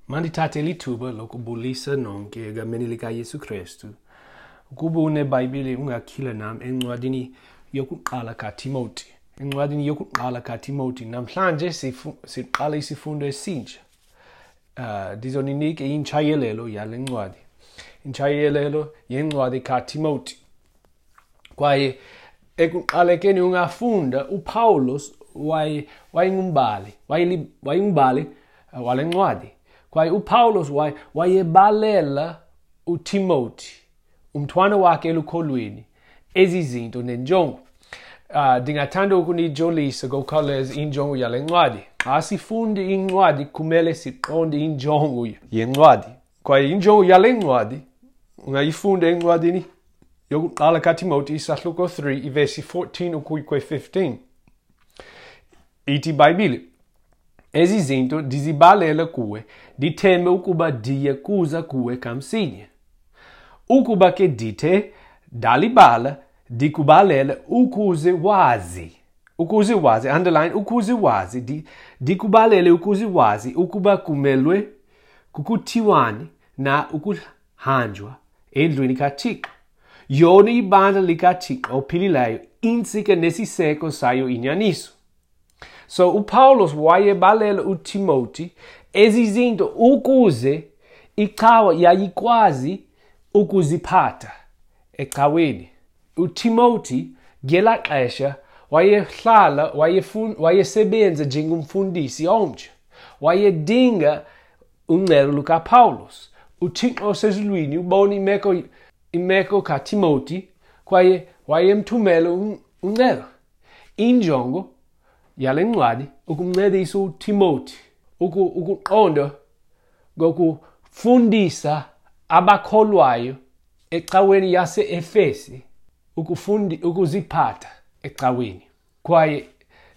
Mandithathe lithuba lokubulisa nonke egameni likaYesu Kristu. Ukuba uneBhayibhile ungakhila nam encwadini yokuqala kaTimoti. Encwadini yokuqala kaTimoti namhlanje siqala isifundo esintsha. Ndizoninika intshayelelo yale ncwadi. Intshayelelo yencwadi kaTimoti. Kwaye ekuqalekeni ungafunda uPawulos wayengumbhali, wayengumbhali wale ncwadi. Kwaye uPawulos wayebalela uTimoti, umntwana wakhe elukholweni, ezi zinto nenjongo. Ndingathanda ukunijolisa ngokukhawuleza injongo yale ncwadi. Xa sifunda incwadi kumele siqonde injongo yencwadi. Kwaye injongo yale ncwadi ungayifunda encwadini yokuqala kaTimoti isahluko 3 ivesi 14 ukuya kwe-15. Ithi iBhayibhile, ezi zinto ndizibalela kuwe, ndithembe ukuba ndiye kuza kuwe kamsinya. Ukuba ke ndithe ndalibala, ndikubalele ukuze wazi. Ukuze wazi, underline, ukuze wazi, ndikubalele ukuze wazi ukuba kumelwe kukuthiwani na ukuhanjwa endlwini kaThixo. Yona ibandla likaThixo ophilileyo, intsika nesiseko sayo inyaniso. So uPawulos wayebalela uTimoti ezi zinto ukuze icawa yayikwazi ukuziphatha ecaweni. uTimoti ngelaa xesha wayehlala, wayesebenza njengomfundisi omtsha. Wayedinga uncedo lukaPawulos. UThixo osezulwini ubona imeko kaTimoti kwaye wayemthumela uncedo. Injongo yale ncwadi ukumncedisa uTimoti ukuqonda ngokufundisa abakholwayo ecaweni yase-Efesi ukuziphatha ecaweni. Kwaye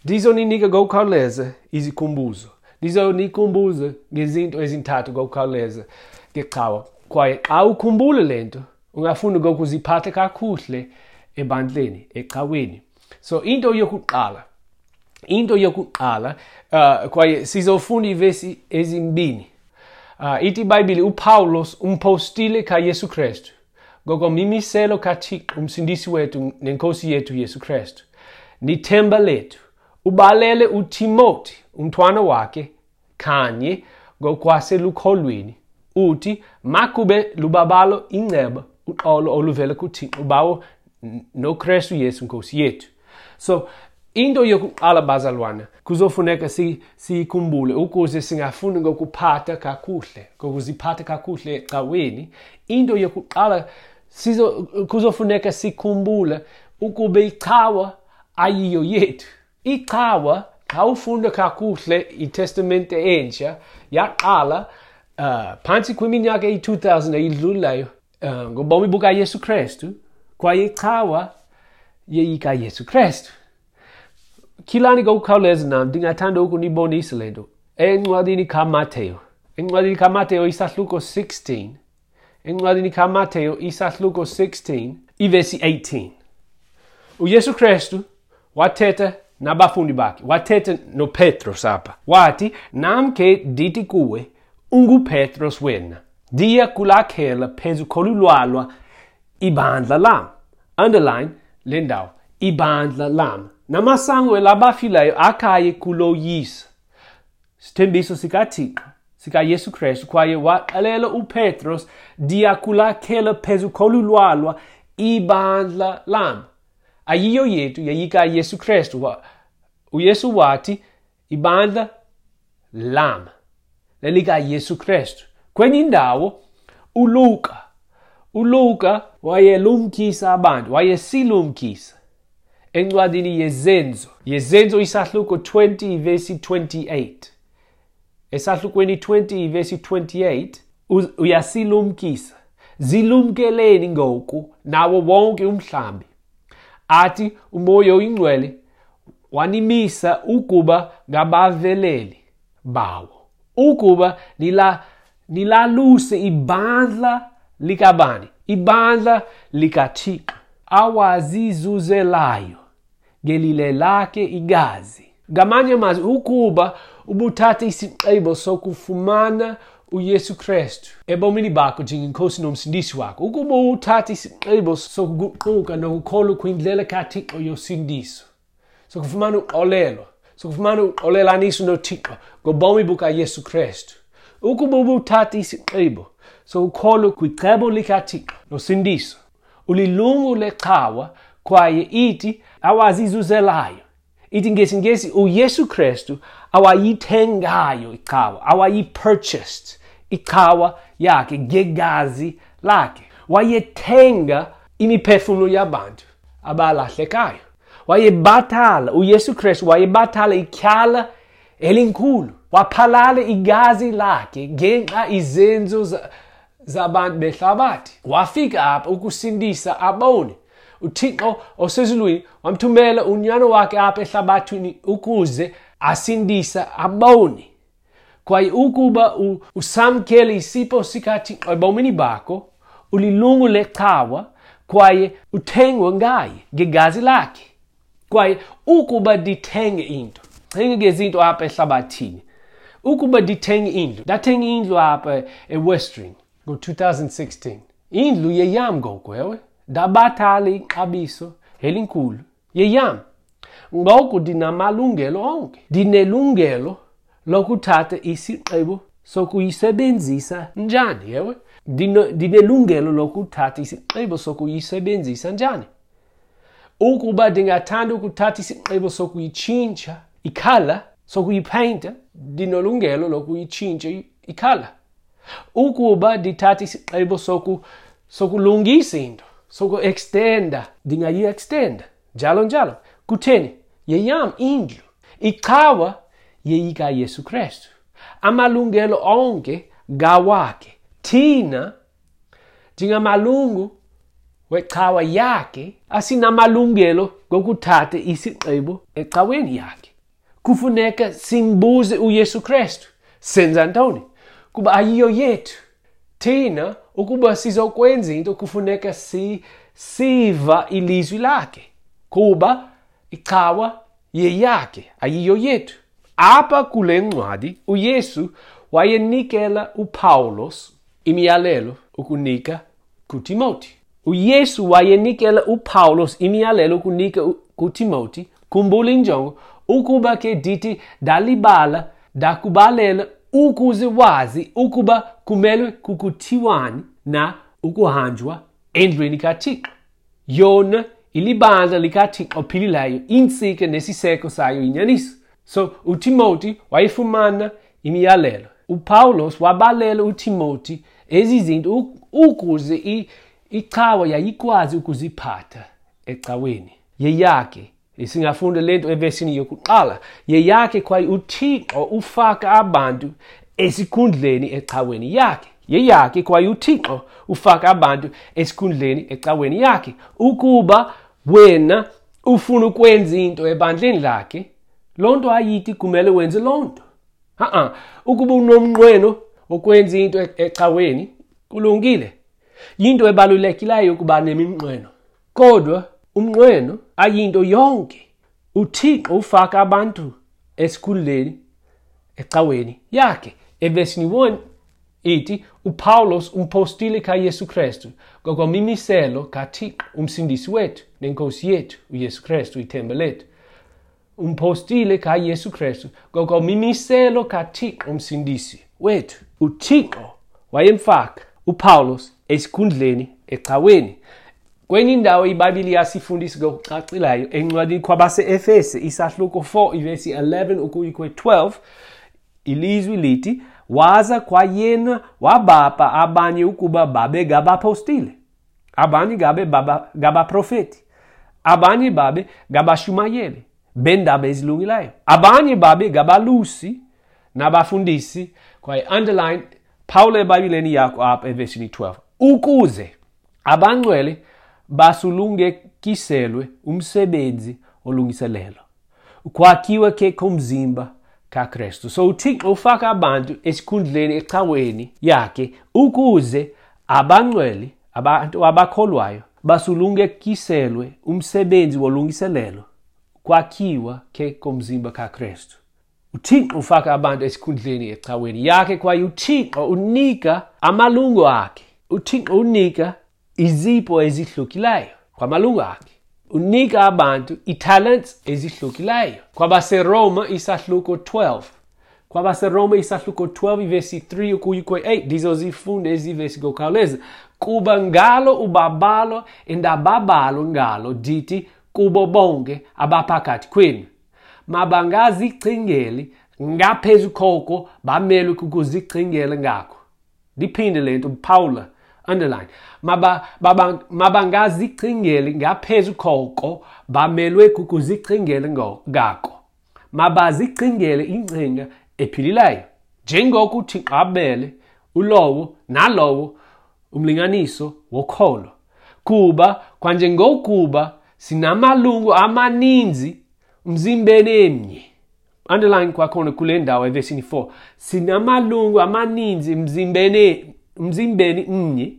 ndizoninika ngokukhawuleza izikhumbuzo. Ndizonikhumbuza ngezinto ezintathu ngokukhawuleza ngecawa. Kwaye xa ukhumbula le nto, ungafunda ngokuziphatha kakuhle ebandleni, ecaweni. So into yokuqala, kwaye sizofunda iivesi ezimbini. Ithi iBhayibhile uPawulos umpostile kaYesu Kristu ngokomimiselo kaThixo umsindisi wethu nenkosi yethu Yesu Kristu, nithemba lethu, ubalele uTimoti umntwana wakhe kanye ngokwaselukholweni, uthi makube lubabalo inceba uxolo oluvela kuThixo uBawo noKristu Yesu Nkosi yethu. So into yokuqala bazalwana kuzofuneka siyikhumbule ukuze singafuni ngokuphatha kakuhle, ngokuziphatha kakuhle ecaweni. Into yokuqala kuzofuneka sikhumbule ukuba icawa ayiyo yethu. Icawa, xa ufunda kakuhle iTestamente entsha, yaqala phantsi kwiminyaka eyi-2000 eyidlulayo ngobomi bukaYesu Kristu, kwaye icawa yeyikaYesu Kristu. Khilani ngokukhawuleza nam, ndingathanda ukunibonisa le nto. Encwadini kaMateyu. Encwadini kaMateyu isahluko 16. Encwadini kaMateyu isahluko 16, ivesi 18. uYesu Kristu wathetha nabafundi bakhe, wathetha noPetros apha. Wathi, nam ke ndithi kuwe, unguPetros wena. Ndiya kulakhela phezu kolu lwalwa ibandla lam. Underline le ndawo, ibandla lam. Namasango elabafileyo akaye kuloyisa. Sithembiso sikaThixo, sikaYesu Kristu, kwaye waxelela uPetros, ndiya kulakhela phezu kolu lwalwa ibandla lam. Ayiyo yethu, yeyikaYesu Kristu. uYesu wathi, ibandla lam, lelikaYesu Kristu. Kwenye indawo, uLuka wayelumkisa abantu, wayesilumkisa. Encwadini yeZenzo, yeZenzo isahluko 20 vesi 28. Esahlukweni 20 vesi 28 uyasilumkisa. Zilumkeleni ngoku nawo wonke umhlambi. Athi uMoya oyiNgcwele wanimisa ukuba ngabaveleli bawo, ukuba nilaluse ibandla likabani, ibandla likaThixo awazizuzelayo ngelile lakhe igazi. Ngamanye amazwi, ukuba ubuthatha isigqibo sokufumana uYesu Kristu ebomini bakho njengenkosi nomsindisi wakho, ukuba uthatha isigqibo sokuguquka nokukholwa kwindlela kaThixo yosindiso, sokufumana uxolelo, sokufumana uxolelaniso noThixo ngobomi bukaYesu Kristu, ukuba ubuthatha isigqibo sokukholwa kwicebo likaThixo nosindiso, ulilungu lecawa kwaye ithi awazizuzelayo, ithi ngesiNgesi uYesu Kristu awayithengayo icawa, awayi-purchased icawa yakhe ngegazi lakhe. Wayethenga imiphefumlo yabantu abalahlekayo. Wayebathala, uYesu Kristu wayebathala ityala elinkulu. Waphalala igazi lakhe ngenxa izenzo zabantu behlabathi. Wafika apha ukusindisa aboni. uThixo osezulwini wamthumela unyana wakhe apha ehlabathini ukuze asindise aboni. Kwaye ukuba usamkele isipho sikaThixo ebomini bakho, ulilungu lecawa kwaye uthengwe ngaye ngegazi lakhe. Kwaye ukuba ndithenge into, cinga ngezinto apha ehlabathini. Ukuba ndithenge indlu, ndathenga indlu apha eWestering ngo-2016. Indlu yeyam ngoku, ewe. Ndabathala ixabiso elinkulu yeyam. Ngoku ndinamalungelo onke. Ndinelungelo lokuthatha isigqibo sokuyisebenzisa njani, ewe. Ndinelungelo lokuthatha isigqibo sokuyisebenzisa njani. Ukuba ndingathanda ukuthatha isigqibo sokuyitshintsha ikhala, sokuyipeyinta, ndinelungelo lokuyitshintsha ikhala. Ukuba ndithatha isigqibo sokulungisa into, soku-extenda, ndingayi-extenda, njalo njalo. Kutheni? Yeyam indlu. Icawa yeyikaYesu Kristu. Amalungelo onke ngawakhe. Thina njengamalungu wecawa yakhe asinamalungelo ngokuthatha isigqibo ecaweni yakhe. Kufuneka simbuze uYesu Kristu. Senza ntoni? Kuba ayiyo yethu. Thina ukuba sizokwenza into kufuneka siva ilizwi lakhe, kuba icawa yeyakhe, ayiyo yethu. Apha kule ncwadi uYesu wayenikela uPawulos imiyalelo ukunika kuTimoti. uYesu wayenikela uPawulos imiyalelo ukunika kuTimoti. Khumbula injongo, ukuba ke ndithi ndalibala ndakubalela ukuze wazi ukuba kumelwe kukuthiwani na ukuhanjwa endlwini kaThixo. Yona ilibandla likaThixo ophilileyo, intsika nesiseko sayo inyaniso. So uTimoti wayefumana imiyalelo. uPawulos wabalela uTimoti ezi zinto ukuze icawa yayikwazi ukuziphatha ecaweni yeyakhe. Singafunda le nto evesini yokuqala. Yeyakhe kwaye uThixo ufaka abantu esikhundleni ecaweni yakhe. Yeyakhe kwaye uThixo ufaka abantu esikhundleni ecaweni yakhe. Ukuba wena ufuna ukwenza into ebandleni lakhe, loo nto ayithi kumele wenze loo nto. Ukuba unomnqweno wokwenza into ecaweni, kulungile. Yinto ebalulekileyo ukuba neminqweno. Kodwa umnqweno ayinto yonke. uThixo ufaka abantu esikhundleni ecaweni yakhe. Evesini 1 ithi uPawulos umpostile kaYesu Kristu ngokwemimiselo kaThixo umsindisi wethu nenkosi yethu uYesu Kristu ithemba lethu. Umpostile kaYesu Kristu ngokwemimiselo kaThixo umsindisi wethu. uThixo wayemfaka uPawulos esikhundleni ecaweni. Kwenye indawo iBhayibhile iyasifundisa ngokucacileyo encwadini kwabase-Efese isahluko 4 ivesi 11 ukuya kwe-12, ilizwi lithi waza kwayena wabapha abanye ukuba babe ngabapostile, abanye ngabe ngabaprofeti, abanye babe ngabashumayeli beendaba ezilungileyo, abanye babe ngabalusi nabafundisi. Kwaye underline phawula eBhayibhileni yakho apha evesini 12, ukuze abangcwele basulungekiselwe umsebenzi olungiselelo, ukwakhiwa ke komzimba kaKristu. So uThixo ufaka abantu esikhundleni ecaweni yakhe ukuze abangcwele, abantu abakholwayo, basulungekiselwe umsebenzi wolungiselelo, kwakhiwa ke komzimba kaKristu. UThixo ufaka abantu esikhundleni ecaweni yakhe, kwaye uThixo unika amalungu akhe. UThixo unika izipho ezihlukileyo kwamalungu akhe. Unika abantu italents ezihlukileyo. KwabaseRoma isahluko 12. KwabaseRoma isahluko 12 ivesi 3 ukuya kwe-8, ndizozifunda ezi vesi ngokukhawuleza. Kuba ngalo ubabalo endababalo ngalo ndithi kubo bonke abaphakathi kwenu, mabangazicingeli ngaphezu koko bamelwe kukuzicingela ngako. Ndiphinde le nto, Paula, underline. Mabangazicingeli ngaphezu koko bamelwe kukuzicingela ngako. Mabazicingele ingcinga ephilileyo, njengoko uThixo abele ulowo nalowo umlinganiso wokholo. Kuba kwanjengokuba sinamalungu amaninzi umzimbeni emnye. Underline kwakhona kule ndawo evesini 4. Sinamalungu amaninzi umzimbeni mnye,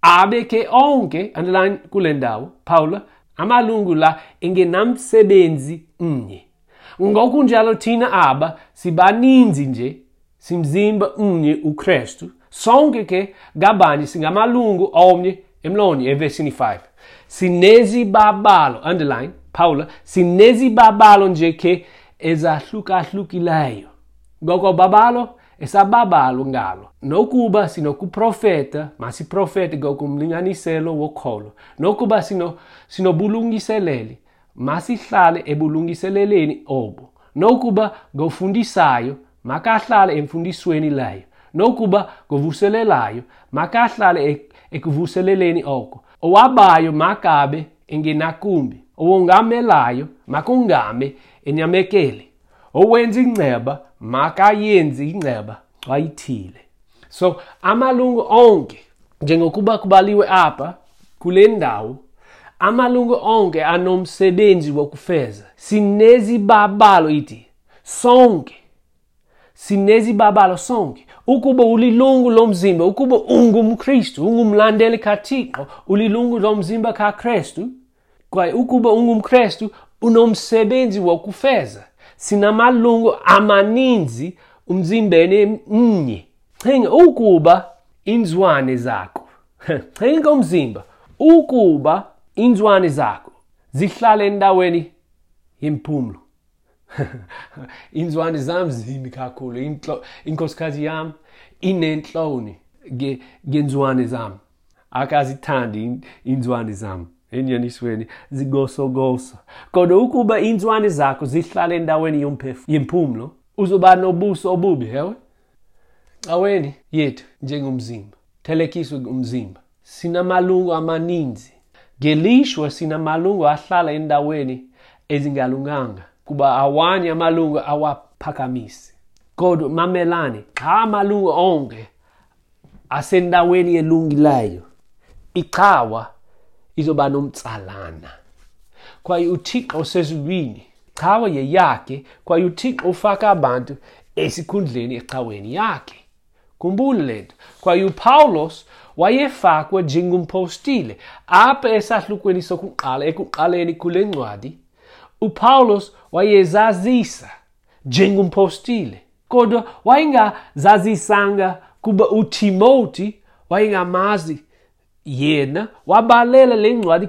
abe ke onke, underline kule ndawo, Paula, amalungu la engenamsebenzi mnye. Ngokunjalo thina aba sibaninzi nje, simzimba mnye uKristu, sonke ke ngabanye singamalungu omnye emlonye, evesini 5. Sinezibabalo, underline, Paula, sinezibabalo nje ke ezahlukahlukileyo. Ngoko babalo esababalo ngalo. Nokuba sinokuprofeta, masiprofete ngokumlinganiselo wokholo. Nokuba sinobulungiseleli, masihlale ebulungiseleleni obo. Nokuba ngofundisayo, makahlale emfundisweni leyo. Nokuba ngovuselelayo, makahlale ekuvuseleleni oko. Owabayo makabe engenakumbi, owongamelayo makongame enyamekele. Owenza inceba makayenze inceba xa ithile. So amalungu onke, njengokuba kubaliwe apha kule ndawo, amalungu onke anomsebenzi wokufeza. Sinezibabalo ithi sonke, sinezibabalo sonke. Ukuba ulilungu lomzimba, ukuba ungumKristu, ungumlandeli kaThixo, ulilungu lomzimba kaKristu, kwaye ukuba ungumKristu unomsebenzi wokufeza. Sinamalungu amaninzi umzimbeni mnye. Cinga ukuba inzwane zakho, cinga umzimba, ukuba inzwane zakho zihlale endaweni yempumlo. Inzwane zam zimbi kakhulu. Inkosikazi yam inentloni ngenzwane zam. Akazithandi inzwane zam. Enyanisweni zigosogoso. Kodwa ukuba inzwane zakho zihlale endaweni yempumlo, uzoba nobuso obubi, hewe? Caweni yethu njengomzimba, thelekiswe umzimba, sinamalungu amaninzi. Ngelishwa sinamalungu ahlala endaweni ezingalunganga, kuba awanye amalungu awaphakamisi. Kodwa mamelani, xa amalungu onke asendaweni elungileyo, icawa izoba nomtsalana. Kwaye uThixo osezulwini, cawa yeyakhe, kwaye uThixo ufaka abantu esikhundleni ecaweni yakhe. Khumbula le nto. Kwaye uPawulos wayefakwe njengompostile apha esahlukweni sokuqala, ekuqaleni kule ncwadi. uPawulos wayezazisa njengompostile, kodwa wayengazazisanga kuba uTimoti wayengamazi yena. Wabalela le ncwadi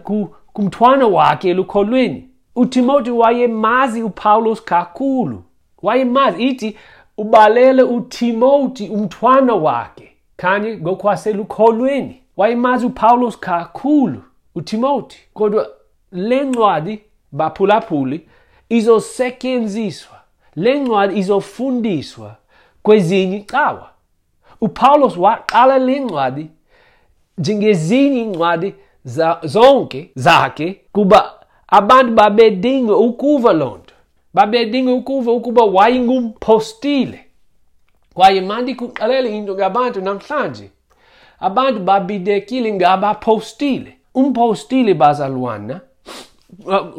kumntwana wakhe elukholweni. uTimoti wayemazi uPawulos kakhulu, wayemazi. Ithi ubalele uTimoti umntwana wakhe kanye ngokwaselukholweni. Wayemazi uPawulos kakhulu uTimoti, kodwa le ncwadi, baphulaphuli, izosetyenziswa, le ncwadi izofundiswa kwezinye icawa. uPawulos waqala le ncwadi njengezinye iincwadi zonke zakhe, kuba abantu babedinga ukuva loo nto, babedinga ukuva ukuba wayengumpostile. Kwaye mandikuxelele into ngabantu namhlanje, abantu babidekile ngabapostile. Umpostile, bazalwana,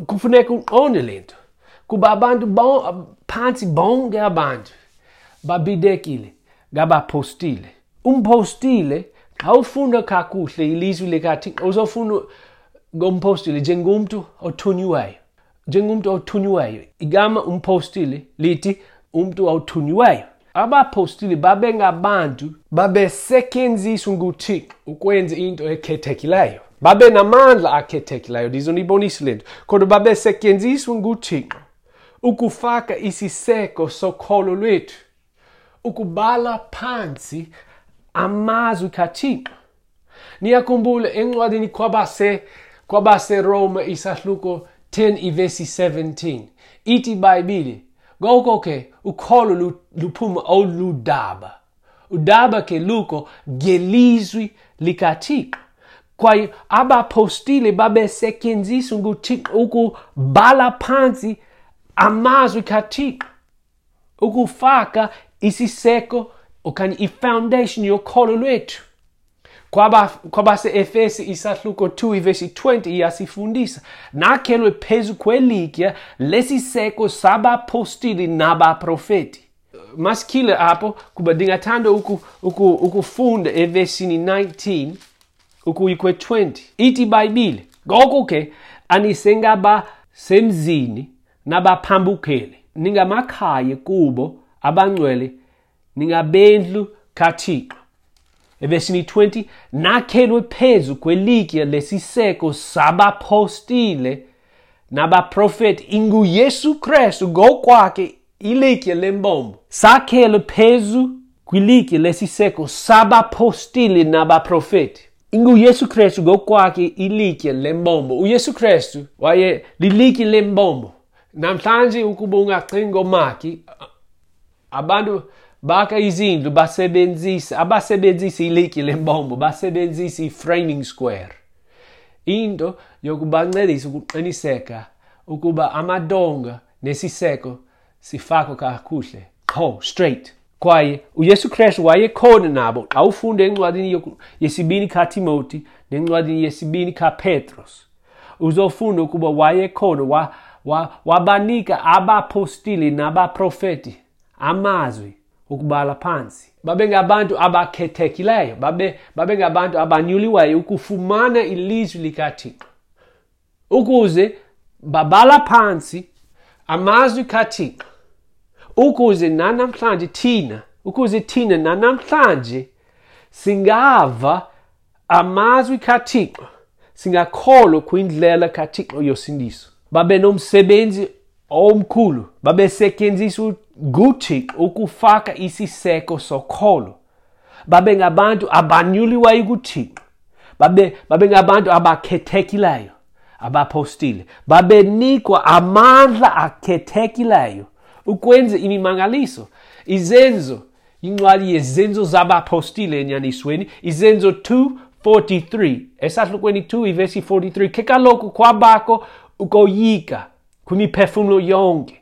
kufuneka uqonde le nto, kuba abantu phantsi bonke abantu babidekile ngabapostile. Umpostile, xa ufunda kakuhle ilizwi likaThixo, uzofunda ngompostile njengomntu othunyiweyo, njengomntu othunyiweyo. Igama umpostile lithi umntu awuthunyiweyo. Abapostile babengabantu babesetyenziswa nguThixo ukwenza into ekhethekileyo. Babe namandla akhethekileyo, ndizonibonisa le nto. Kodwa babesetyenziswa nguThixo ukufaka isiseko sokholo lwethu, ukubhala phantsi amazwi kaThixo. Niyakhumbula encwadini kwabaseRoma isahluko 10 ivesi 17, ithi iBhayibhile, ngoko ke ukholo luphuma oludaba. Udaba ke luko ngelizwi likaThixo. Kwaye abapostile babesetyenziswa nguThixo ukubhala phantsi amazwi kaThixo, ukufaka isiseko okanye ifoundation yokholo lwethu. Kwabase-Efesi isahluko 2 ivesi 20 iyasifundisa, nakhelwe phezu kwelitye lesiseko sabapostile nabaprofeti. Masikhile apho kuba ndingathanda ukufunda evesini 19 ukuya kwe-20. Ithi iBhayibhile, ngoko ke anisengabasemzini nabaphambukeli, ningamakhaya kubo abangcwele, ningabendlu kaThixo. Evesini 20, nakhelwe phezu kwelitye lesiseko sabapostile nabaprofeti, inguYesu Kristu ngokwakhe ilitye lembombo. Sakhelwe phezu kwilitye lesiseko sabapostile nabaprofeti, inguYesu Kristu ngokwakhe ilitye lembombo. UYesu Kristu waye lilitye lembombo. Namhlanje ukuba ungacinga ngomaki, abantu baka izindlu abasebenzisa ilitye lembombo, basebenzisa i-framing square. Into yokubancedisa ukuqiniseka ukuba amadonga nesiseko sifakwe kakuhle, qho straight. Kwaye uYesu Kristu wayekhona nabo. Xa ufunda encwadini yesibini kaTimothy nencwadini yesibini kaPetros, uzofunda ukuba wayekhona, wabanika abapostile nabaprofeti amazwi ukubhala phansi. Babengabantu abakhethekileyo, babengabantu abanyuliweyo ukufumana ilizwi likaThixo, ukuze babhala phansi amazwi kaThixo, ukuze nanamhlanje thina, ukuze thina nanamhlanje singava amazwi kaThixo, singakholwa kwindlela kaThixo yosindiso. Babe nomsebenzi omkhulu, babesetyenziswa nguThixo ukufaka isiseko sokholo. Babe ngabantu abanyuliweyo kuThixo, babe ngabantu abakhethekileyo, abapostile. Babenikwa amandla akhethekileyo ukwenza imimangaliso. Izenzo, incwadi yezenzo zabapostile enyanisweni, Izenzo 2:43, esahlukweni 2 ivesi 43, ke kaloku kwabakho ukoyika kwimiphefumlo yonke,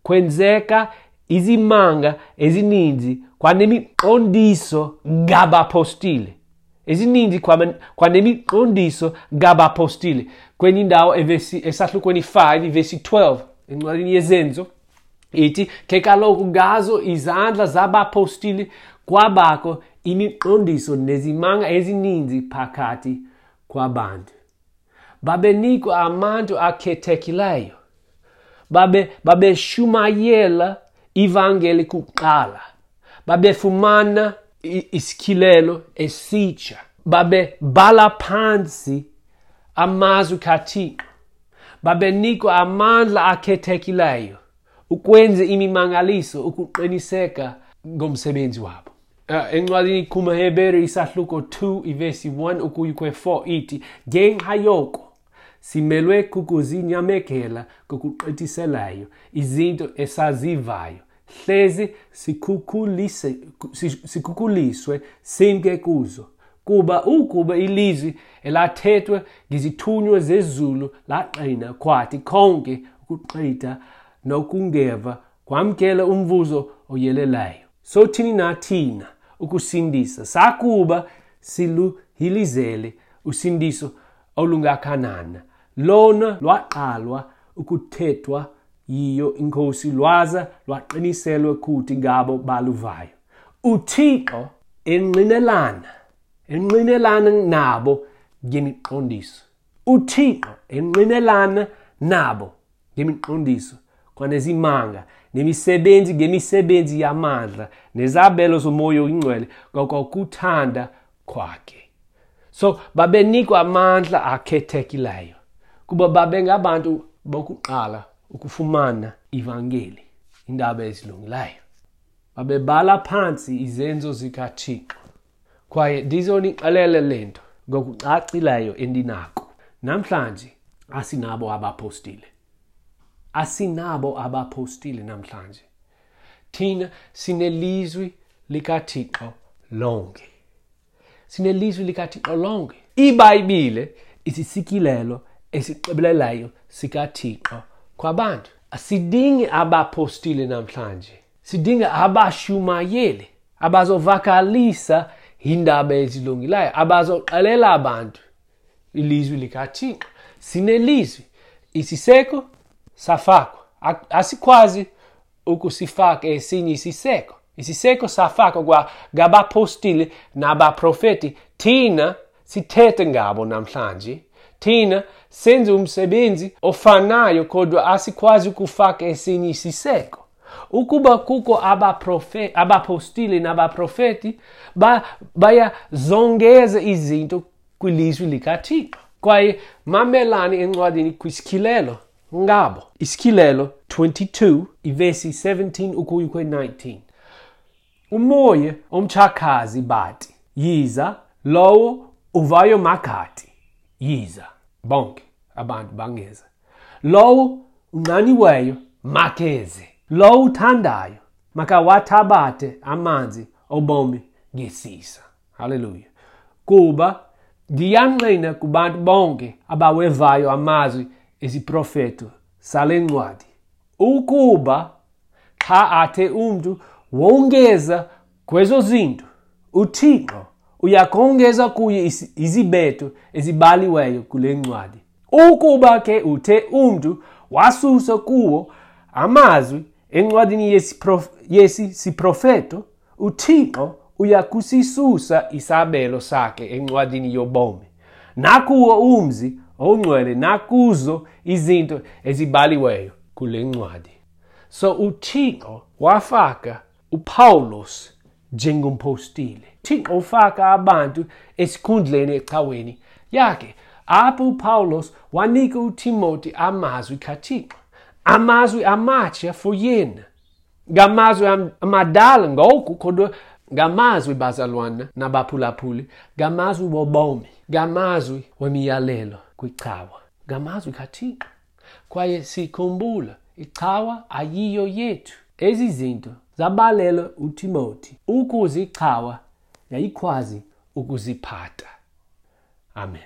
kwenzeka izimanga ezininzi kwanemiqondiso ngabapostile. Ezininzi kwanemiqondiso ngabapostile. Kwenye indawo esahlukweni 5 ivesi 12 encwadini yezenzo ithi, ke kaloku ngazo izandla zabapostile kwabakho imiqondiso nezimanga ezininzi phakathi kwabantu. Babenikwa abantu akhethekileyo, babeshumayela ivangeli kuqala, babefumana isikhilelo esitsha, babebhala phansi amazwi kaThixo, babenikwa amandla akhethekileyo ukwenza imimangaliso, ukuqiniseka ngomsebenzi wabo. Encwadini kumaHebhere isahluko 2 ivesi 1 ukuya kwe-4 ithi, ngenxa yoko simelwe kukuzinyamekela ngokugqithiseleyo izinto esazivayo, hleze sikhukuliswe simke kuzo. Kuba ukuba ilizwi elathethwa ngezithunywa zezulu laqina, kwathi konke ukugqitha nokungeva kwamkela umvuzo oyeleleyo. Sothini na thina ukusindisa sakuba siluhilizele usindiso olungakanana? Lona lwaqalwa ukuthethwa yiyo iNkosi, lwaza lwaqiniselwa kuthi ngabo baluvayo. uThixo enqinelana nabo ngemiqondiso. uThixo enqinelana nabo ngemiqondiso kwanezimanga, nemisebenzi ngemisebenzi yamandla, nezabelo zomoya oyingcwele ngokokuthanda kwakhe. So babenikwa amandla akhethekileyo kuba babengabantu bokuqala ukufumana ivangeli, indaba ezilungileyo. Babebhala phantsi izenzo zikaThixo. Kwaye ndizonixelela le nto ngokucacileyo endinako. Namhlanje asinabo abapostile. Asinabo abapostile namhlanje. Thina sinelizwi likaThixo lonke. Sinelizwi likaThixo lonke. IBhayibhile isisikilelo esigqibeleleyo sikaThixo kwabantu. Asidingi abapostile namhlanje. Sidinga abashumayeli abazovakalisa iindaba ezilungileyo, abazoxelela abantu ilizwi likaThixo. Sinelizwi. Isiseko safakwa. Asikwazi ukusifaka esinye isiseko. Isiseko safakwa kwa ngabapostile nabaprofeti. Thina sithethe ngabo namhlanje. Thina senze umsebenzi ofanayo, kodwa asikwazi ukufaka esinye isiseko. Ukuba kukho abapostile nabaprofeti, bayazongeza izinto kwilizwi likaThixo. Kwaye mamelani encwadini kwisityhilelo ngabo. Isityhilelo 22, ivesi 17 ukuya kwe-19. Umoya omtshakazi bathi, yiza, lowo uvayo makathi, yiza. Bonke abantu bangeza. Lowo unxaniweyo makeze. Lowo uthandayo makawathabathe amanzi obomi ngesisa. Haleluya. Kuba ndiyangqina kubantu bonke abawevayo amazwi esiprofeto sale ncwadi, ukuba xa athe umntu wongeza kwezo zinto, uThixo uyakongeza kuye izibetho ezibhaliweyo kule ncwadi. Ukuba ke uthe umntu wasusa kuwo amazwi encwadini yesi siprofeto, uThixo uyakusisusa isabelo sakhe encwadini yobomi, nakuwo umzi ongcwele, nakuzo izinto ezibhaliweyo kule ncwadi. So uThixo wafaka uPawulos njengompostile. Thixo ufaka abantu esikhundleni ecaweni yakhe. Apho uPawulos wanika uTimothy amazwi kaThixo, amazwi amatsha for yena. Ngamazwi amadala ngoku, kodwa ngamazwi bazalwana nabaphulaphuli, ngamazwi wobomi, ngamazwi wemiyalelo kwicawa, ngamazwi kaThixo. Kwaye sikhumbula, icawa ayiyo yethu. Ezi zinto zabalelwa uTimothy ukuze icawa yayikwazi ukuziphatha. Amen.